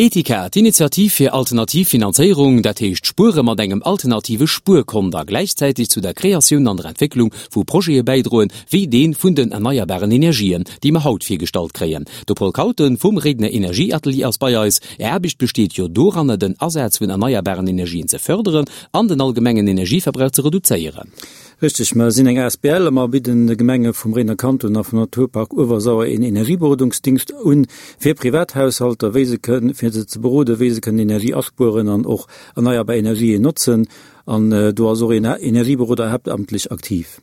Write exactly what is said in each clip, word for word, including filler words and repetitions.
Etika, d'Initiativ fir alternativ Finanzéierung, dat heescht Spuere mat engem alternative Spuerkont a gläichzäiteg zu der Kreatioun an der Entwécklung vu Projete bäidroen, wéi dee vun den erneierbaren Energien, déi mer haut virgestallt kréien. De Paul Kauten vum Réidener Energieatelier ass bei eis. Är Aarbecht besteet jo doranner, den Asaz vun erneierbaren Energien ze fërderen an den allgemengen Energieverbrauch ze reduzéieren. Richteg, mer sinn eng asbl a mer bidden de Gemenge vum Réidener Kanton a vum Naturpark Uewersauer een Energieberodungsdingscht un fir Privathaushalter, wéi se kënnen, fir se ze beroden, wéi se kënnen Energie aspueren an och erneierbar Energien notzen. An do ass och een Energieberoder haaptamtlech aktiv.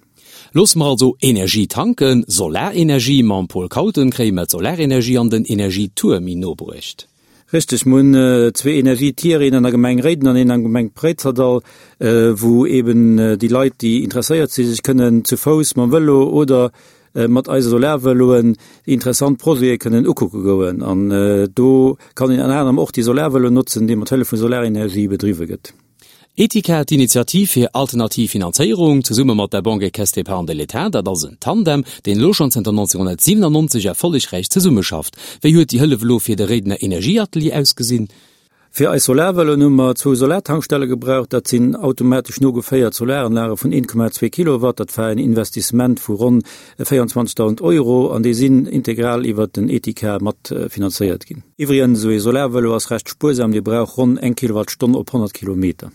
Loosse mer also Energie tanken, Solarenergie. Mam Paul Kauten kréie mer d'Solarenergie an den Energietour méi no bruecht. Richteg, mer hunn zwee Energietier, een an der Gemeng Réiden an een an der Gemeng Préizerdall, wou eben déi Leit, déi interesséiert sinn, sech kënnen zu Fouss, mam Vëlo oder mat eise Solarvëloen déi interessant Projete kënnen ukucke goen. An do kann een ënner anerem och déi Solarvëlo notzen, dee mat Hëllef vu Solarenergie bedriwwe gëtt. Etika, d'Initiativ fir alternativ Finanzéierung, zesumme mat der Banque et Caisse d'Épargne de l'État, dat ass en Tandem, deen elo schonn zënter nonzegenhonnertsiwenannonzeg erfollegräich zesummeschafft. Wéi huet déi Hëllef elo fir de Réidener Energieatelier ausgesinn? Fir eis Solarvëloen hu mer zwou Solartankstelle gebraucht. Dat sinn automatesch nogeféiert Solaranlage vun een Komma zwee Kilowatt. Dat war en Investissement vu ronn véierundzwanzegdausend Euro an déi sinn integral iwwert den Etika mat finanzéiert ginn. Iwwregens, esou ee Solarvëlo ass recht spuersam, dee brauch ronn eng Kilowattstonn op honnert Kilometer.